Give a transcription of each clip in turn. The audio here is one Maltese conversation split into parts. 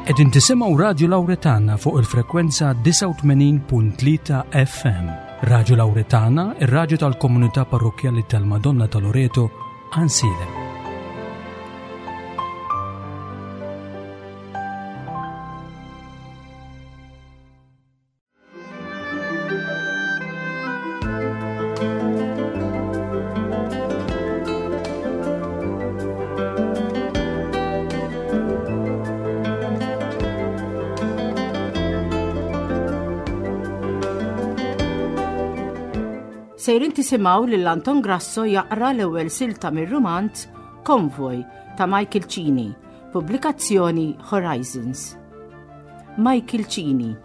Qegħdin tisimgħu Radju Lawretana fuq il-frekwenza 89.3 FM. Radju Lawretana, ir-radju tal-komunità parrokkjali tal-Madonna ta' Loreto, Ansilem. Sejrin tisimgħu lil Anton Grasso jaqra l-ewwel silta mir-rumanz Konvoj ta' Michael Cini, pubblikazzjoni Horizons. Michael Cini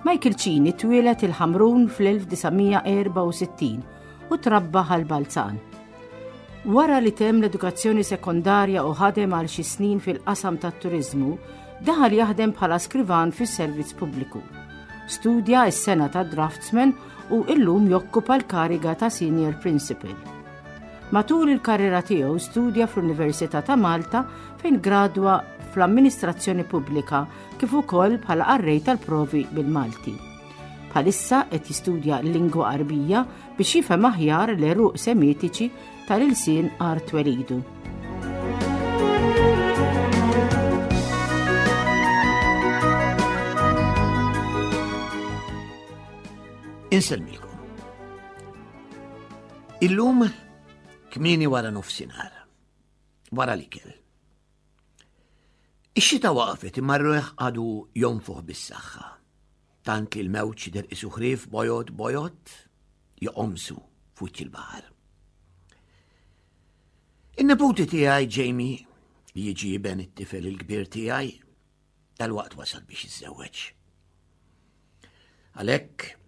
Michael Cini twieled il-Ħamrun fl-1964 u trabba Ħal Balzan. Wara li temm l-edukazzjoni sekondarja u ħadem għal xi snin fil-qasam tat-turiżmu, daħal jaħdem bħala skrivan fis-servizz pubbliku. Studja s-sena ta' draftsman u illum jokkupa l-kariga ta' senior principal. Matul il-karriera tiegħu studja fl-Università ta' Malta fejn gradwa fl-Amministrazzjoni Pubblika kif ukoll bħala qarrej tal-provi bil-Malti. Bħalissa qed jistudja l-lingwa Għarbija biex jifhem aħjar l-għeruq Semitiċi tal-ilsien art twelidu. Insellmilkom. Illum kmieni wara nofsinhar, wara l-ikel. Ix-xita waqfet imma r-riħ għadu jonfoħ bis-saħħa. Tant li l-mewġ jidher qisu ħrief bojod bojod joqomsu f'wiċċ il-baħar. In-neputi tiegħi Jamie li jiġi iben it-tifel il-kbir tiegħi dalwaqt wasal biex jiżżewweġ. Għalhekk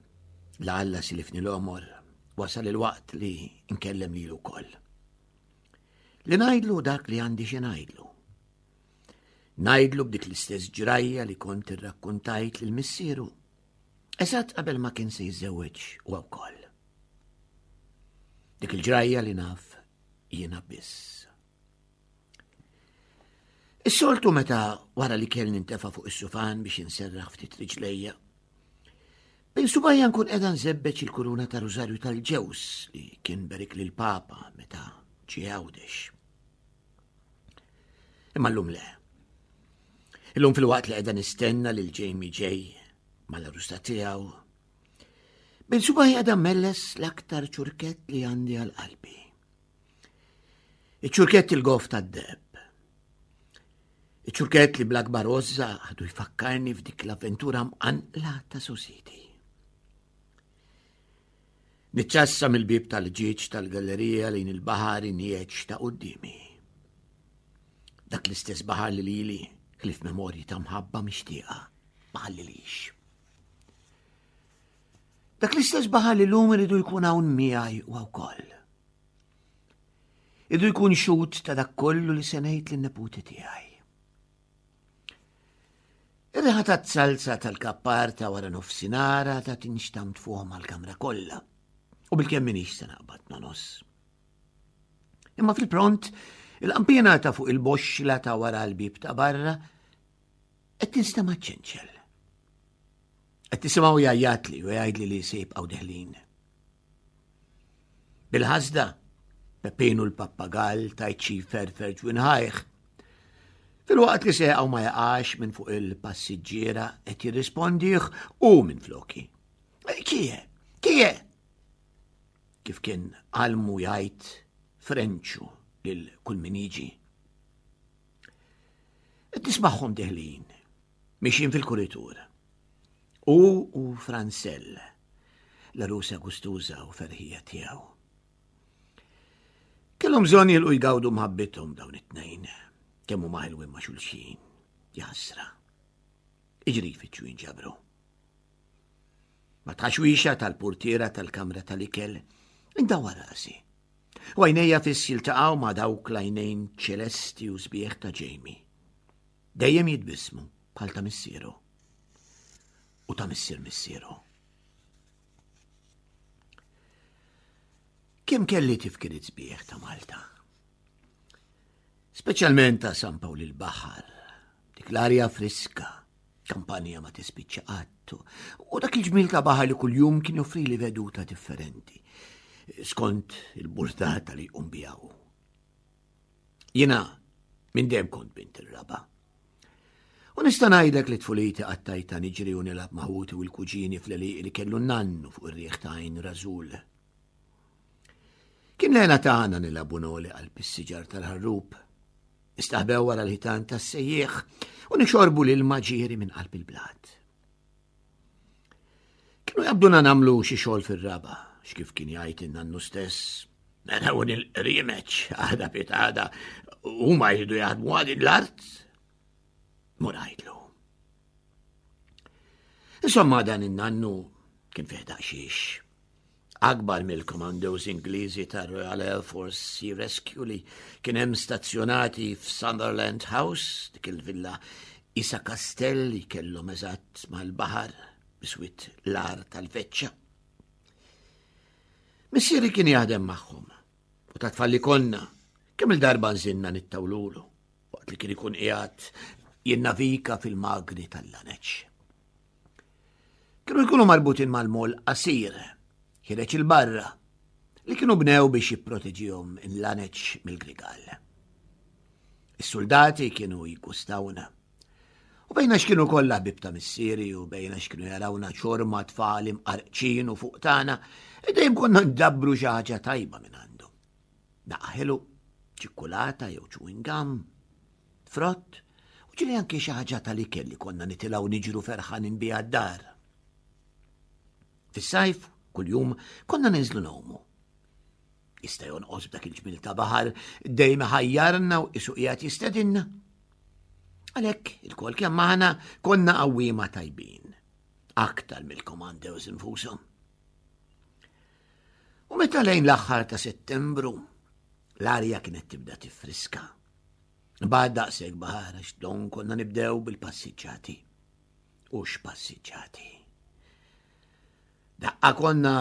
la Alla silifni l-għomor wasal il-waqt li nkellem lilu wkoll. Li ngħidlu dak li għandi xi ngħidlu. Ngħidlu b'dik l-istess ġrajja li kont irrakkuntajt lil missieru. Eżatt qabel ma kien se jiżżewweġ huwa wkoll. Dik il-ġrajja li naf jiena biss. Is-soltu meta wara li kell nintefa' fuq is-sufan biex inserraħ ftit riġlejja, bejn subajja nkun qiegħda nżebbeġ il-kuruna ta' Rużarju tal-ġews li kien berik lil Papa meta ġie Għawdex. Imma llum le. Illum fil-waqt li qiegħda nistenna lil Jamie ġej mal-arusta tiegħu, bejn subajja qiegħda melles l-aktar ċurkett li għandi għal qalbi. Iċ-ċurkett il-gof tad-deheb. Iċ-ċurkett li bl-akbar għożża għadu jfakkarni f'dik l-avventura mqanqla ta' susiti. Niċċassa mill-bib tal-ġieġ tal-gallerija lejn il-baħar injeġ ta' qudiemi. Dak l-istess baħar li lili ħlif memorji ta' mħabba mixtieqa ma ħallilix. Dak l-istess baħar li lum iridu jkun hawn miegħi u wkoll. Idu jkun xut ta' dak kollu li se ngħid lin-neputi tiegħi. Ir-riħa ta' salsa tal-kappar ta' wara nofsinara ta' tinxtam tfuħ mal-kamra kollha. U bil-kemm minix se naqbad nonos. Imma fil-pront, il-qampina ta' fuq il-boxxla ta' wara l-bib ta' barra qed tinstema' ċenċel. Qed tisimgħu jgħajjatli u jgħidli li se jibqgħu deħlin. Bil-ħasda, Peppinu l-pappagall tajt xi ferfer ġwinħajh. Filwaqt li seqgħu ma jaqax minn fuq il-passiġġiera qed jirrispondih u minn floki. Kie, kie! Kif kien għalmu jgħid Frenċu lil kull min jiġi. Qed nismagħhom deħlin, mixjin fil-kuritur. Hu u Fransell, l-għarusa gustuża u ferħija tiegħu. Kellhom bżonn jilqu jgawdu mħabbithom dawn it-tnejn, kemm huma ħelwin ma' xulxin, jaħasra. Iġri jfittxu jinġabru. Ma tħaxwixa tal-portiera tal-kamra tal-ikel, indawar rasi. U għajnejja fiss jiltaqgħu ma' dawk l-għajnejn ċelesti u sbieħ ta' Jamie. Dejjem jitbissmu bħal ta' missieru. U ta' missier missieru. Kemm kelli tifkiriet sbieħ ta' Malta. Speċjalment ta' San Pawl il-Baħar, dik Dik l-arja friska, kampanja ma tispiċċa qatt, u dak il-ġmil ta' baħar li kuljum kien joffrili veduta differenti, skont il-burdata li jqum biha hu. Jiena minn dejjem kont bint ir-raba'. U nista' ngħidlek li tfuliti qattajta niġri u nilgħab ma' ħuti u l-kuġini fl-għelieqi li kellu n-nannu fuq ir-riħ ta' Għajn Rażul. Kien l-hena tagħna nilagħbu noli qalb is-siġar tal-ħarrub, nistaħbew wara l-ħitan tas-sejjieħ u nixorbu l-ilma ġieri minn qalb il-blat. Kienu jabduna namlu xi xogħol fir-raba, x'kif kien jgħid in-nannu stess. Naraw il-qriemeċ għada pitada huma jridu jaħdmu għal l-art. Mur għidlu. Insomma dan in-nannu kien fih daqxiex. Akbar mill-commandos Ingliżi tar-Royal Air Force Sea Rescue li kien hemm stazzjonati f'Sunderland House, dik il-villa isa kastell li kellhom eżatt mal-baħar biswit l-ar tal-veċċa. Missieri kien jaħdem magħhom u ta' tfal li konna kemm il-darba nżinna nittawlulu waqt li kien ikun qiegħed jinnavika fil-magni tal-laneċ. Kienu jkunu marbutin mal-mol qasir, ħireġ il-barra, li kienu bnew biex jipproteġihom il-laneċ mill-grigal. Is-soldati kienu jiggustawna. U bejna x'kienu kollha ħbieb ta' missieri u bejna x'kienu jarawna ċorma tfal imqarqċin u fuq tagħna, dejjem konna ndabbru xi ħaġa tajba minn għandu. Daqqa ħelu, ċikkulata jew chewing gum, frott, u ġieli anki xi ħaġa tal-ikel li konna nitilgħu niġru ferħanin biha d-dar. Fis-sajf, kuljum, konna ninżlu ngħumu. Jista' jonqos b'dak il-ġmil ta' baħar dejjem ħajjarna u qisu qiegħed jistedinna. Għalhekk il-kol kemm aħna konna qawwiema tajbin, aktar mill-komandews infushom. U meta lejn l-aħħar ta' Settembru l-arja kienet tibda tifriska. Bad daqshekk baħar għax don konna nibdew bil-passiġġati. U x'passiġġati. Daqqa konna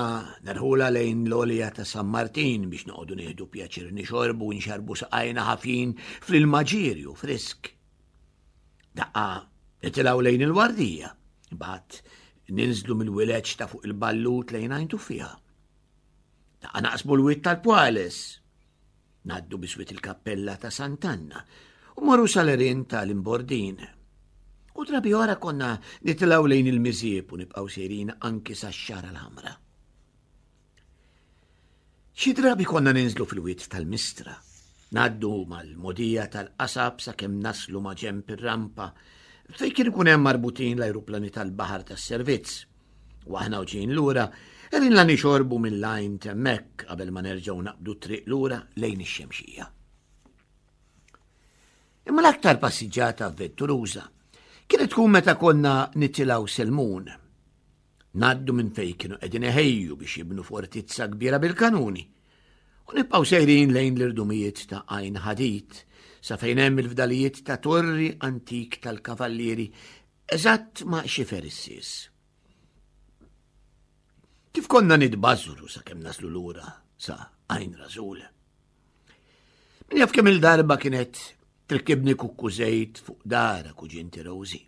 nerħula lejn l-olja ta' San Martin biex noqogħdu nieħdu pjaċir nixorbu u nxarbu saqajna ħafin fl-ilma ġirju frisk. Daqqa nitilgħu lejn il-wardija, imbagħad ninżlu mill-wileġġ ta' fuq il-ballut lejn għajn tuffieħa. Daqqa naqsmu l-wied tal-Pwales, Ngħaddu biswit il-kappella ta' Sant'Anna u morru sal-għerien tal-Imbordin. U drabi oħra konna nitilgħu lejn il-Miżieb u nibqgħu sejrin anki sax-Xagħra l-Ħamra. Xi drabi konna ninżlu fil-wied tal-Mistra, ngħaddu mal-mogħdija tal-qasab sakemm naslu ma' ġenb ir-rampa fejn kien ikun hemm marbutin l-ajruplani tal-baħar tas-servizz. U aħna u ġejjin lura, erinna nixorbu mill-għajn t'hemmhekk qabel ma nerġgħu naqbdu t-triq lura lejn ix-Xemxija. Imma l-aktar passiġġata avventuruża kienet tkun meta konna nitilgħu Selmun. Naddu minn fejn kienu qegħdin iħejju biex jibnu fortizza kbira bil-kanuni. U nibqgħu sejrin lejn l-irdumijiet ta' Għajn Ħadid sa fejn hemm il-fdalijiet ta' torri antik tal-kavallieri Eżatt ma' xifer is-sies. Kif konna nitbażżru sakemm naslu lura sa għajn rażul. Min jaf kemm il-darba kienet trikkibni kukku żejt fuq dara kuġinti Rosie,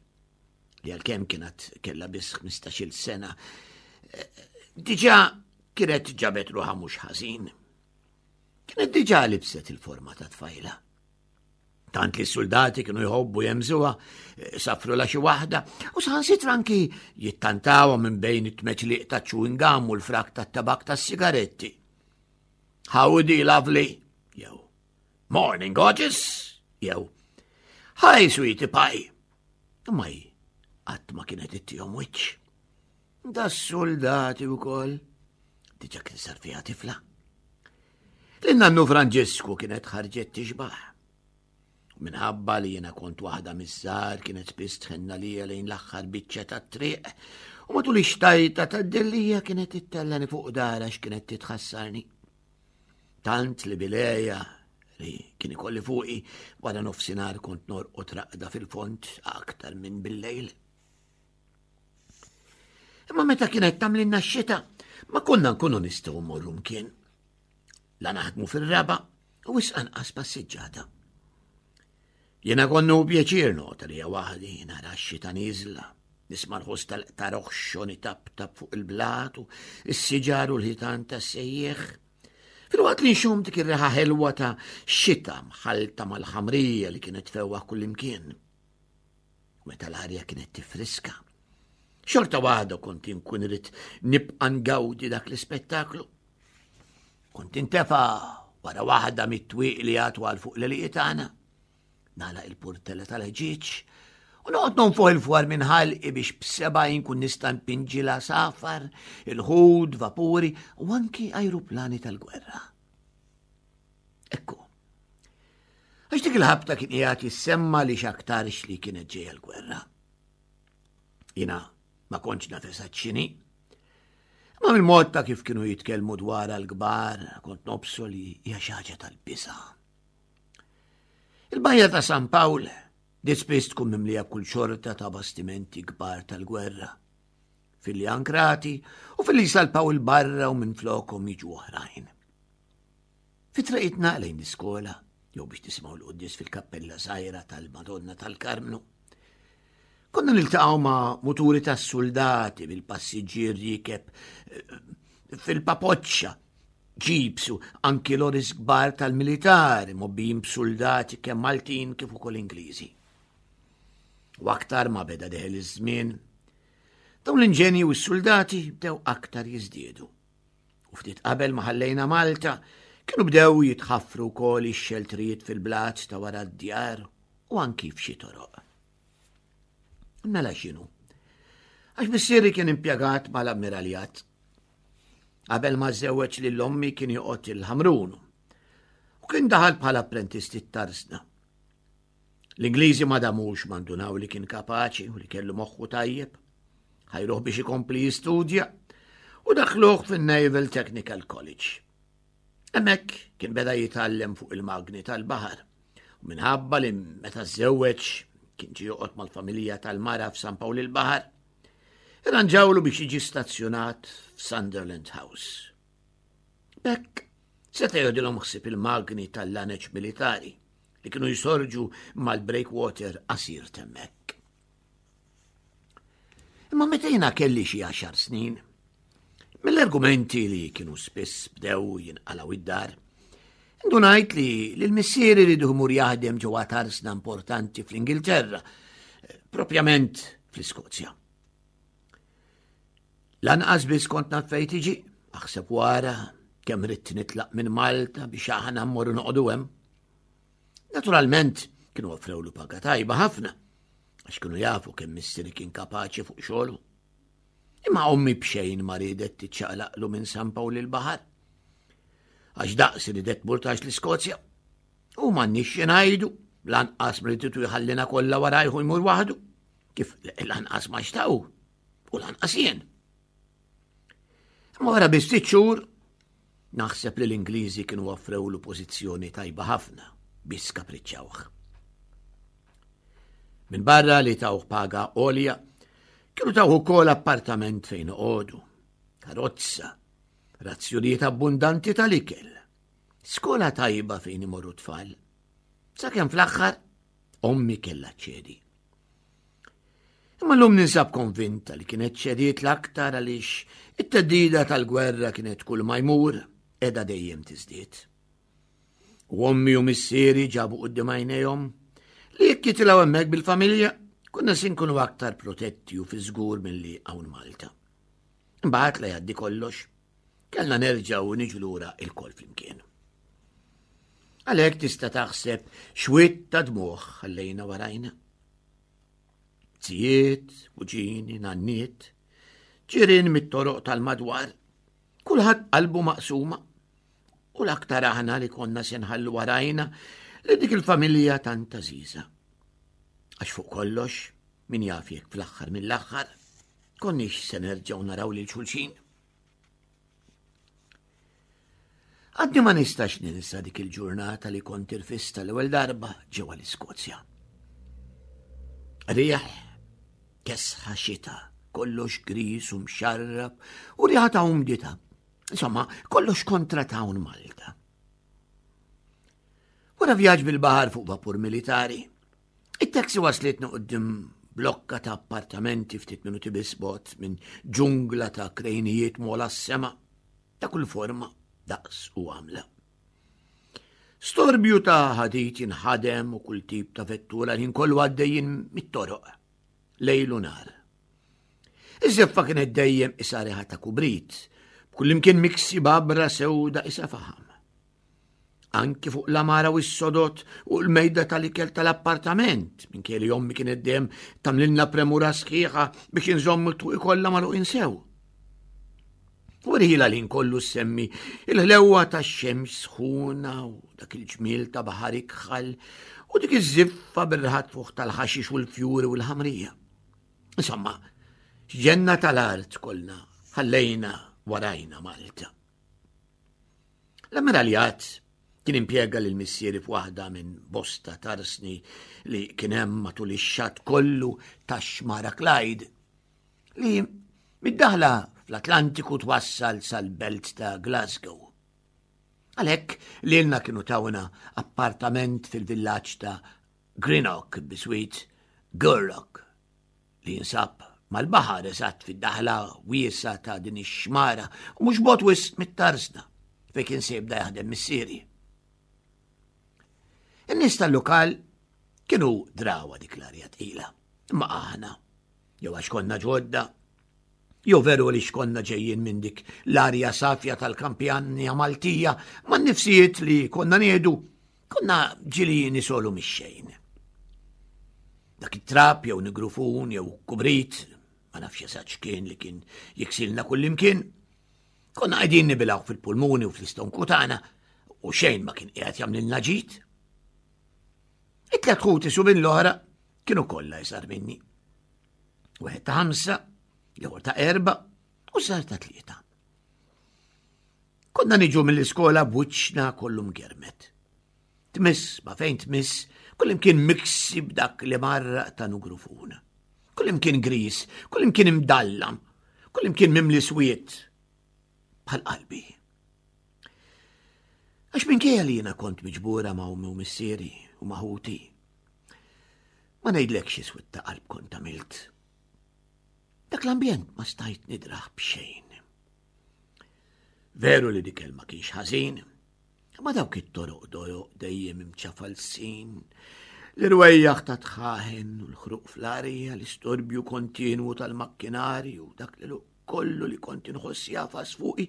li għalkemm kienet kellha biss 15-il sena, eh, diġà kienet ġabet ruħha mhux ħażin. Kienet diġà libset il-forma ta' tfajla. Tant li s-soldati kienu jħobbu jemżuha, eh, safru la xi waħda, u saħansitra anki jittantawha minn bejn it-tmeċliq ta' chewing gum u l-frak tat-tabak tas-sigaretti. Howdy, lovely, jew Morning, gorgeous, jew Hi, sweetie pie. Imma hi qatt ma kienet ittihom wiċċ. Da soldati wkoll. Diġà kien sar fiha tifla. Lin-nannu Franġisku kienet ħarġet tixbaħ. Minħabba li jiena kont waħda miż-żgħar kienet spiss tħenna lija lejn l-aħħar biċċa tat-triq u matul ix-xtajta tad-dellija kienet ittellani fuq dara x'kienet titħassarni. Tant li bileja li kien ikolli fuqi wara nofsinhar kont norqod raqda fil-fond aktar minn bil-lejl. Imma meta kienet tagħmlilna x-xita, ma konna nkunu nistgħu mmorru mkien. La naħdmu fir-raba u wisq anqas passiġġata. Jiena konnu pjaċir nota li waħdi nara x-xita nieżla, nisma' l-ħoss tal-qtar oħxon itaptap fuq il-blat u s-siġar u l-ħitan tas-sejjieħ. Filwaqt li nxum dik ir-riħa ħelwa ta' xita mħalta mal-ħamrija li kienet fewwa kullimkien. Meta l-arja kienet tifriska. Xorta waħda kont inkun irid nibqa' ngawdi dak l-ispettaklu. Kont intefa wara waħda mit-twieq li għatu għal fuq l-eliqiet tagħna. Nagħlaq il-purtella tal-ħġieġ u noqgħod nonfoħ il-fwar minn ħalqi biex b'seba' inkun nista' npinġi l-għasafar, il-ħud, vapuri u anki ajruplani tal-gwerra. Ekku. Għax dik il-ħabta kien qiegħed jissemma li x'aktarx li kienet ġejja l-gwerra. Jina ma kontx naf eżatt x'inhi. Ma mill-mod ta' kif kienu jitkellmu dwar l-kbar, kont nobsu li hija xi ħaġa tal-biża'. Il-bajja ta' San Pawl di spiss tkun mimlija kull xorta ta' bastimenti kbar tal-gwerra. Filli ankrati u filli jsalpaw il-barra u minn flokom jiġu oħrajn. Fi triqitna lejn l-iskola, jew biex nisimgħu l-quddies fil-kappella żgħira tal-Madonna tal-Karmnu. Konna niltaqgħu ma' muturi tas-suldati bil-passiġġier rikeb eh, fil-papoċċa, ġibs u anki loris kbar tal-militari mobbijin b'suldati kemm Maltin kif ukoll Ingliżi. U aktar ma beda deħel iż-żmien, dawn l-inġenji u s-suldati bdew aktar jiżdiedu. U ftit qabel ma ħallejna Malta, kienu bdew jitħaffru wkoll ix-xeltrijiet fil-blat ta' wara d-djar u anki f'xi toroq. Mela x'inhu? Għax missieri kien impjegat mal-ammiraljat. Qabel ma żewweġ lil ommi kien joqgħod il-Ħamrun u kien daħal bħala apprentisti t-tarsna. L-Ingliżi ma damux ma ndunaw li kien kapaċi u li kellu moħħu tajjeb. Ħajruh biex ikompli jistudja u daħluh fin-Naval Technical College. Hemmhekk kien beda jitgħallem fuq il-magni tal-baħar. U minħabba li meta żewweġ kien ġie joqgħod mal-familja tal-mara f'San Pawl il-Baħar, irranġawlu biex jiġi stazzjonat f'Sunderland House. B'hekk seta' jgħodilhom ħsieb il-magni tal-laneċ militari li kienu jsorġu mal-breakwater qasir t'hemmhekk. Imma meta jiena kelli xi għaxar snin, mill-argumenti li kienu spiss bdew jinqalgħu id-dar, indunajt li l-missieri li jmur jaħdem ġewwa tarsna importanti fl-Ingilterra, propjament fl-Iskozja. Lanqas biss kont naf fejn tiġi, aħseb wara kemm ridt nitlaq minn Malta biex aħna mmorru noqogħdu hemm. Naturalment kienu offrewlu paga tajba ħafna għax kienu jafu kemm missieri kien kapaċi fuq xogħlu. Imma ommi b'xejn ma riedet tiċċaqlaqlu minn San Pawl il-Baħar. Għax daqs ridet tmur tax l-Iskozja. U m'għandniex xi ngħidu, lanqas mrititu jħallina kollha warajħu jmur waħdu, kif lanqas ma xtaqu u lanqas jien. Imma wara biss ftit xhur naħseb li l-Ingliżi kienu offrewlu pożizzjoni tajba ħafna biex skapriċċawh. Minn barra li tawh paga għolja, kienu tawh ukoll appartament fejn oqogħdu, karozza, razzjonijiet abbundanti tal-ikel, skola tajba fejn imorru tfal. Sakemm fl-aħħar ommi kellha ċedi. Imma llum ninsab konvinta li kienet ċediet l-aktar għaliex it-teddida tal-gwerra kienet kull ma jmur qiegħda dejjem tiżdied. U ommi u missieri ġabu quddiem għajnejhom li jekk jitilgħu hemmhekk bil-familja konna se nkunu aktar protetti u fi żgur milli hawn Malta. Imbagħad la jgħaddi kollox, kellna nerġgħu niġu lura il-kol flimkien. Għalhekk tista' taħseb xwitt ta' dmuħ ħallejna warajna. Zijiet, kuġini, nanniet, ġirien mit-toroq tal-madwar, kulħadd qalbu maqsuma. U l-aktar aħna li konna se nħallu warajna li dik il-familja tant għażiża. Għax fuq kollox, min jaf jekk fl-aħħar mill-aħħar, konniex se nerġgħu naraw lil xulxin. Għadni ma nistax ninsa dik il-ġurnata li kont irfista l-ewwel darba ġewwa l-Iskozja. Riħ, kesħa xita, kollox gris u mxarrab u riħa ta' umdita. Insomma, kollox kontra ta' hawn Malta. Wara vjaġġ bil-baħar fuq vapur militari. It-taxi waslitna quddiem blokka ta' appartamenti ftit minuti biss bogħod minn ġungla ta' krejnijiet mola s-sema ta' kull forma, daqs u għamla. Storbju ta' ħadid jinħadem u kull tip ta' vettura li kollu għaddejjin mit-toroq, lejl u nar. Iż-żeffa kienet dejjem isa riħa ta' kubrit, b'kullimkien miksi babra sewda isa faħam. Anki fuq l-amara u s-sodot u l-mejda tal-ikel tal-appartament, minkejja li ommi kienet dejjem tagħmlilna premura sħiħa biex inżommu t-tuqi kollha magħluqin sew. U rħila li nkollu semmi il-ħlewwa tax-xemx sħuna u dak il-ġmiel ta' baħar ikħal u dik iż-żiffa bir-raħat fuq tal-ħaxix u l-fjuri u l-ħamrija. Insomma, ġenna tal-art kollna ħallejna warajna Malta. L-ammiraljat kien impjega lil missieri f'waħda minn bosta tarsni li kien hemm matul ix-xatt kollu tax-xmara Clyde li mid-daħla fl-Atlantiku twassal sal-belt ta' Glasgow. Għalhekk lilna kienu tawna appartament fil-villaġġ ta' Greenock biswit Gurlock li jinsab mal-baħar eżatt fid-daħla wiesgħa ta' din ix-xmara u mhux bogħod wisq mit-tarsna fejn kien se jibda jaħdem missieri. In-nies tal-lokal kienu drawa dik l-arja tqila, imma aħna, jew għax konna ġodda, jew veru li xkonna ġejjin minn dik l-arja safja tal-kampjanja Maltija man nifsijiet li konna nieħdu Konna ġili nisolu mix-xejn. Dak it-trap jew nigrufun jew kubrit, ma nafx eżatt x'kien li kien jiksilna kullimkien. Konna qegħdin nibilgħu fil-pulmuni u fl-istonku tagħna u xejn ma kien qiegħed jagħmlilna ġid. It-tlet ħuti su minn l-oħra kienu kollha iżgħar minni. Wieħed ta' ħamsa, l-ieħor ta' erba' u sar ta' tlieta. Konna niġu mill-iskola b'wiċċna kollu mgermet. Tmiss ma fejn tmiss, kullimkien miksi b'dak li marraq ta' nugrufun. Kullimkien gris, kullimkien imdallam, kullimkien mimli swiet bħal qalbi. Għax minkejja li jiena kont miġbura ma' ummi u missieri u ma' ħuti, ma ngħidlekx iswed ta' qalb kont għamilt. Dak l-ambjent ma stajt nidraħ b'xejn. Veru li dik ma kienx ħażin, ma dawk it-toroq doroq dejjem imċafalsin, l-irwejjaħ ta' tħaħen u l-ħruq fl-arja, l-istorbju kontinwu tal-makkinarju, dak li kollu li kont inħoss jafas fuqi,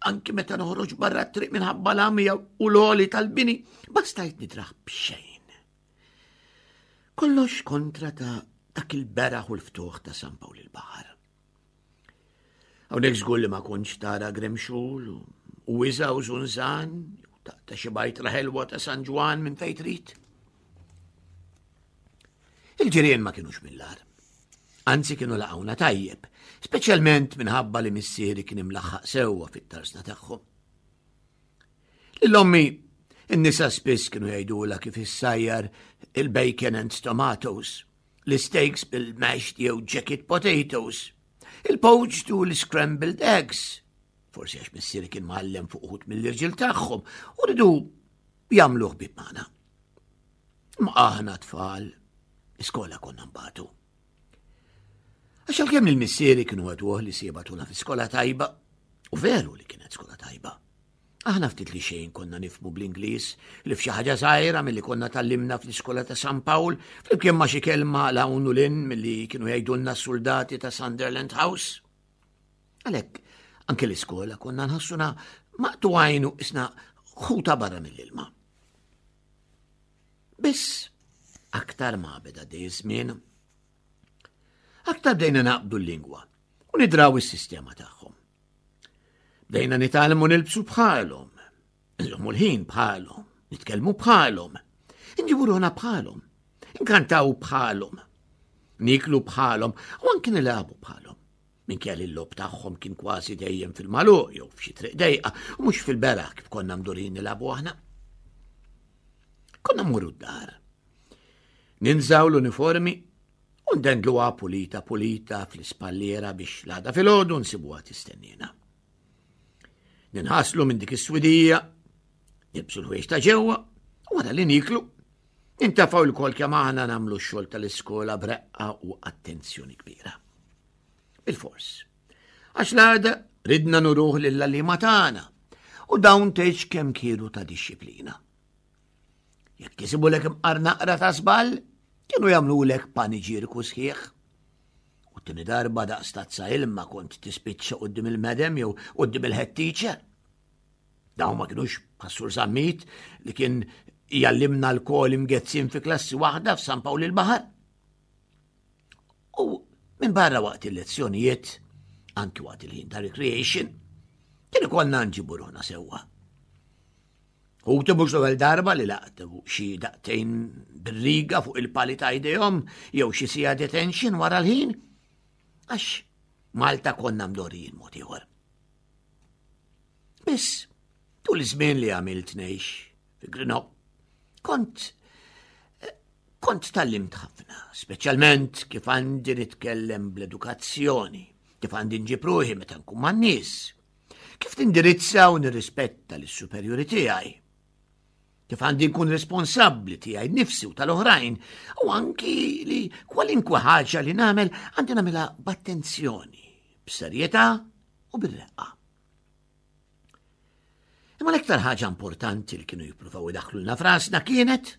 anki meta noħroġ barra t-triq minħabba l-għamija u l-oli tal-bini, ma stajt nidraħ b'xejn. Kollox kontra ta' dak il-beraħ u l-ftuħ ta' San Pawl il-Baħar. Hawnhekk żgur li ma kontx tara gremxul u wiża u żunżan, ta' xi bajtra ħelwa ta' San Ġwan minn fejn trid. Il-ġirien ma kienux mill-ar. Anzi kienu laqgħuna tajjeb, speċjalment minħabba li missieri kien imlaħħaq sewwa fit-tarsna tagħhom. Lil ommi in-nisa spiss kienu jgħidulha kif issajjar il-bacon and tomatoes l-steaks bil-mashed jew jacket potatoes, il-poached u l-scrambled eggs. Forsi għax missieri kien mgħallem fuq uħud mill-irġiel tagħhom u ridu jagħmlu ħbieb magħna. Ma aħna tfal, iskola konna nbatu. Għax għalkemm il-missieri kienu għaduh li sibatuna fi skola tajba, u veru li kienet skola tajba. Aħna ftit li xejn konna nifhmu bl-Ingliż li f'xi ħaġa żgħira milli konna tgħallimna fl-iskola ta' San Pawl, flimkien ma' xi kelma 'l hawn u 'l hinn milli kienu jgħidulna s-suldati ta' Sunderland House. Għalhekk, anke l-iskola konna nħossuna maqtugħin u isna ħuta barra mill-ilma. Biss, aktar ma beda dej żmien, aktar bdejna naqbdu l-lingwa u nidraw is-sistema tagħhom. Bdejna nitgħallmu nilbsu bħalhom, nżommu l-ħin bħalhom, nitkellmu bħalhom, nġibu ruħna bħalhom, nkantaw bħalhom, niklu bħalhom u anki nilagħbu bħalhom. Minkejja li l-logħob tagħhom kien kważi dejjem fil-magħluq jew f'xi triq dejqa u mhux fil-beraħ kif konna mdurin nilagħbu aħna. Konna mmorru d-dar. Ninżaw l-uniformi u ndendluha pulita pulita fl-ispalliera biex l-għada filgħodu nsibuha tistennina. Ninħaslu minn dik is-swidija, nilbsu l-ħwejġ ta' ġewwa u wara li niklu, Nintafgħu lkoll kemm aħna nagħmlu x-xogħol tal-iskola b'reqqa u attenzjoni kbira. Bil-fors. Għax l-għada ridna nuruh lill-għalliema tagħna u dawn tgħidx kemm kienu ta' dixxiplina. Jekk isibulek imqar naqra ta' żball, kienu jagħmlulek paniġierku sħiħ. U t-tieni darba daqs tazza ilma kont tispiċċa quddiem il-medem jew quddiem il-head teacher. Dawn ma kinux bħas-Sur Zammit li kien jallimna l-kol imgezzin fi klassi waħda f'San Pawl il-Baħar. U minn barra waqt il-lezzjonijiet, anki waqt il-ħin ta' recreation, kien ikollna nġibu ruħna sewwa. Ħuti mhux l-ewwel darba li laqtu xi daqtejn bir-riga fuq il-pali ta' jdejhom jew xi sija detention wara l-ħin, għax Malta konna mdorijin mod ieħor. Biss, tul iż-żmien li għamilt ngħix fi Grino, kont kont tallimt ħafna, speċjalment kif għandi nitkellem bl-edukazzjoni, kif għandi nġib ruħi meta nkun man-nies, kif nindirizza u nirrispetta lis-superjuri tiegħi, kif għandi nkun responsabbli tiegħi nifsi u tal-oħrajn, u anki li kwalinkwe ħaġa li nagħmel għandi nagħmilha b'attenzjoni, b'serjetà u bir-reqqa. Imma l-iktar ħaġa importanti li kienu jippruvaw idaħħlulna frasna kienet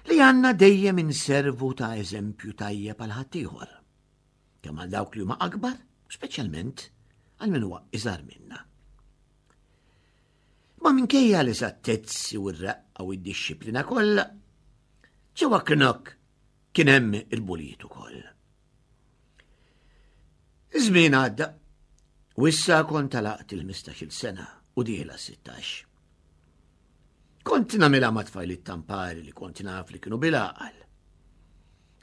li għandna dejjem inservu ta' eżempju tajjeb għal ħaddieħor. Kemm għal dawk li huma akbar, speċjalment għal min huwa iżgħar minna. Ma minkejja l-eżattezzi u r-raqqa u d-dixxiplina kollha, ġewwa Knok kien hemm il-bulijiet ukoll. Iż-żmien għadda u issa kont għalaqt il-15-il sena u dieħla 16. Kont nagħmilha ma' tfajliet tampari li kont naf li kienu bil-għaqal.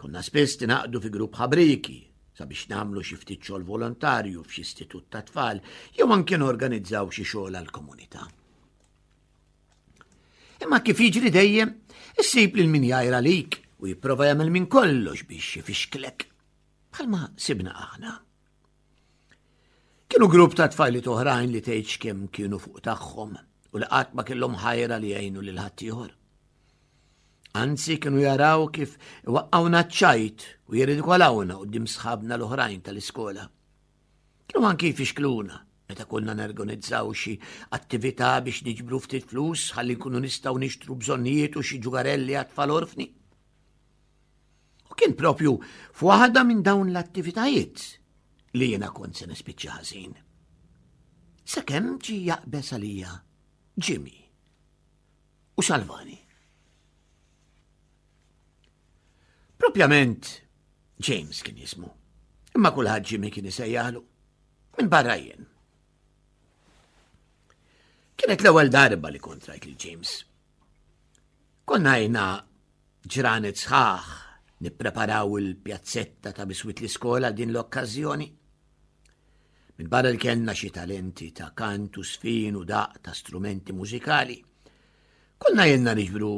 Konna spiss tinaqdu fi grupp ħabriki sabiex nagħmlu xi ftit xogħol volontarju f'xi istitut ta' tfal jew anke norganizzaw xi xogħol għall-komunità. Imma kif jiġri dejjem, issib lil min jgħir għalik u jipprova jagħmel minn kollox biex ifixklek. Bħalma sibna aħna. Kienu grupp ta' tfajliet oħrajn li tgħidx kemm kienu fuq tagħhom u li qatt ma kellhom ħajra li jgħinu lil ħaddieħor. Anzi kienu jaraw kif waqqawna ċ-ċajt u jirridikolawna quddiem sħabna l-oħrajn tal-iskola. Kienu anki jfixkluna meta konna nerganizzaw xi attività biex niġbru ftit flus ħalli nkunu nistgħu nixtru bżonnijiet u xi ġugarelli għat-tfal orfni. U kien propju f'waħda minn dawn l-attivitajiet li jiena kont se nispiċċa ħażin. Sakemm ġi jaqbeż għalija Jimmy u Salvani. Propjament James kien jismu, imma kulħadd Jimmy kien isejjaħlu minn barra jien. Kienet l-ewwel darba li kont rajt lil James. Konna jna ġranet sħaħ nippreparaw il-pjazzetta ta' biswit l-iskola din l-okkażjoni. Minn barra li kellna xi talenti ta' kant u sfin u daq ta' strumenti mużikali. Konna jenna niġbru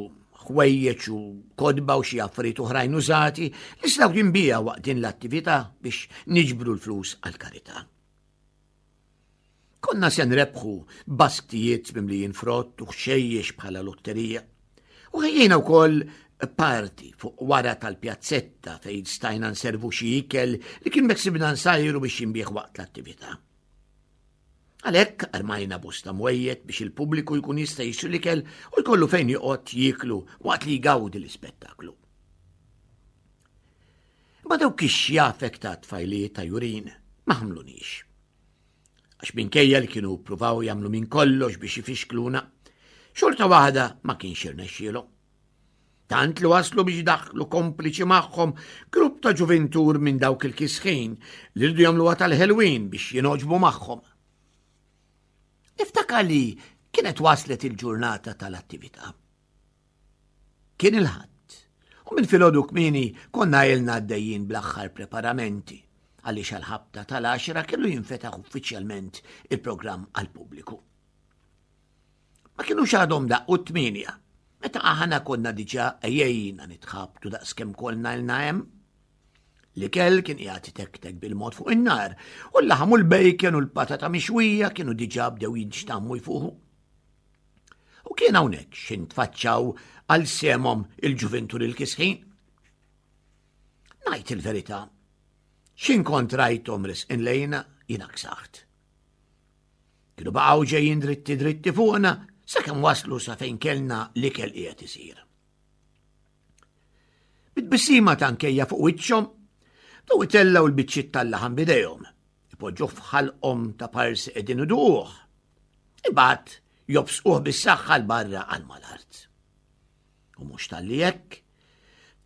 ħwejjeġ u kodba u xi affarijiet oħrajn użati li setgħu jinbiegħu waqt din l-attività biex niġbru l-flus għall-karità. Konna se nrebħu basktijiet mimlijin frott u ħxejjex bħala lotterija. U ħejjejna wkoll parti fuq wara tal-pjazzetta fejn stajna nservu xi ikel li kien beħsibna nsajru biex jinbieħ waqt l-attività. Għalhekk armajna bosta mwejjed biex il-pubbliku jkun jista' jixtri l-ikel u jkollu fejn joqgħod jieklu waqt li jgawdi l-ispettaklu. Ma dawk ix-xjafek ta' tfajliet ta' Jurin ma ħamlunix. Għax minkejja li kienu pruvaw jagħmlu minn kollox biex ifixkluna, xorta waħda ma kienx irnexxielhom. Tant li waslu biex daħlu kompliċi magħhom grupp ta' ġuvintur minn dawk il-kisħin li rridu jagħmluha tal-ħelwin biex jinoġbu magħhom. Niftakar li kienet waslet il-ġurnata tal-attività. Kien il-Ħadd, u minn filgħodu kmieni konna ilna għaddejjin bl-aħħar preparamenti għaliex għall-ħabta tal-għaxra kellu jinfetaħ uffiċjalment il-programm għall-pubbliku. Ma kinux għadhom daqqu t-tmienja, meta aħna konna diġà għejjejna nitħabtu daqskemm kollna ilna hemm. L-ikel kien qiegħed itektek bil-mod fuq in-nar, u l-laħam u l-bacon u l-patata mixwija kienu diġà bdew jinxtammu jfuħu. U kien hawnhekk x'intfaċċaw għal sehemhom il-ġuvintur il-kisħin. Ngħid il-verità, x'in kont rajthom risqin lejna jiena ksaħt. Kienu baqgħu ġejjin dritti dritti fuqna sakemm waslu sa fejn kellna l-ikel qiegħed isir. Bit-tbissima ta' nkejja fuq wiċċhom, bdew itellgħu l-biċċiet tal-laħam b'idejhom, ipoġġuh f'ħalqhom ta' parsi qegħdin iduquh. Imbagħad jobsquh bis-saħħa 'l barra għal mal-art. U mhux talli hekk,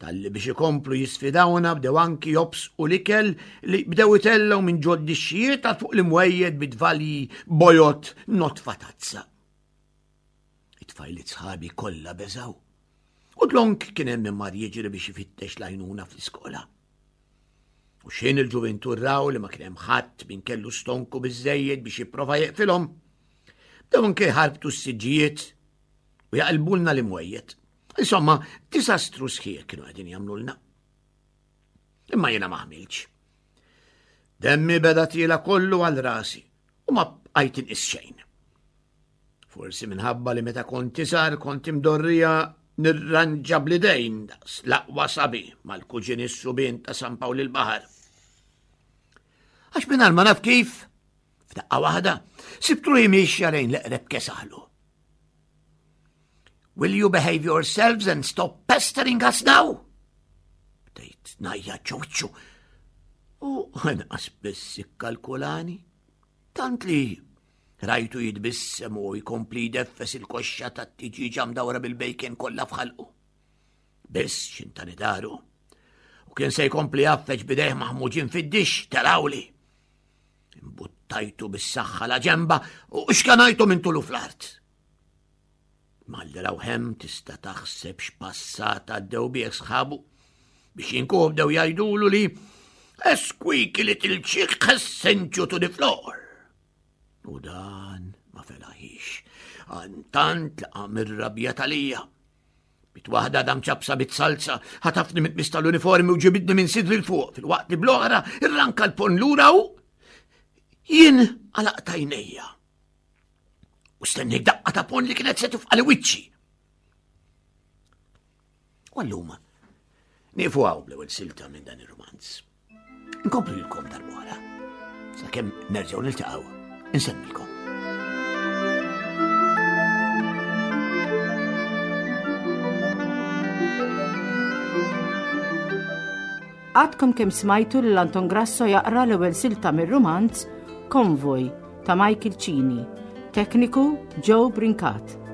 talli biex ikomplu jisfidawna bdew anki jobsqu l-ikel li bdew itellgħu minn ġod dixxijiet għal fuq l-imwejjed bit-tvalji bojod notfa tazza. It-tfajliet sħabi kollha beżgħu. U dlonk kien hemm min mar jiġri biex ifittex l-għajnuna fl-iskola. U xejn il-ġuvintur raw li ma kien hemm ħadd min kellu stonku biżejjed biex jipprova jeqfilhom. Bdew anke jħarbtu s-siġġijiet u jaqilbulna l-imwejjed. Insomma, disastru sħiħ kienu qegħdin jagħmlulna. Imma jiena ma ħmilx. Demmi beda tiela kollu għal rasi u ma bqajt inqis xejn. Forsi minħabba li meta kont iżgħar kont imdorrija nirranġa bl-idejn daqs l-aqwa sabi mal-kuġin is-subien ta' San Pawl il-Baħar. Għax mingħajr ma naf kif, f'daqqa waħda, sibtu li miexja lejn l-eqreb kesaħlu. Will you behave yourselves and stop pestering us now? Bdejt najja ċoċċu. U nqas biss ikkalkulani. Tant li Rajtu jitbissem u jkompli jdeffes il-koxxa tat-tiġieġa mdawra bil-bacon kollha f'ħalqu. Biss xintani daru. U kien se jkompli jaffeġ bidejh maħmuġin fid-dix telawli. Imbuttajtu bis-saħħa la ġemba u xkanajtu minn tulu fl-art. Malli raw hemm tista' taħseb x'passat għaddew bih sħabu biex jinkuh bdew jgħidulu li a squeaky little chick has sent you to the floor. U dan ma felaħix. Tant li qam ir-rabja talija. Bit waħda dam ċapsa bit salza, ħatafni mit mista l-uniformi u ġibidni minn sidri l-fuq fil-waqt li bl-oħra irranka l-pon lura u jien għalaqtajnejja. U stennejt daqqa ta' pon li kienet se tifqali wiċċi. U allum, nieqfu hawn bl-ewwel silta minn dan ir-romanz. Nkomplu lilkom darb'oħra. Sakemm nerġgħu niltaqgħu, insemmilkom. Għadkom kemm smajtu lil Anton Grasso jaqra l-ewwel silta mir-rumanz Konvoj ta' Michael Cini. Tekniku Joe Brincat.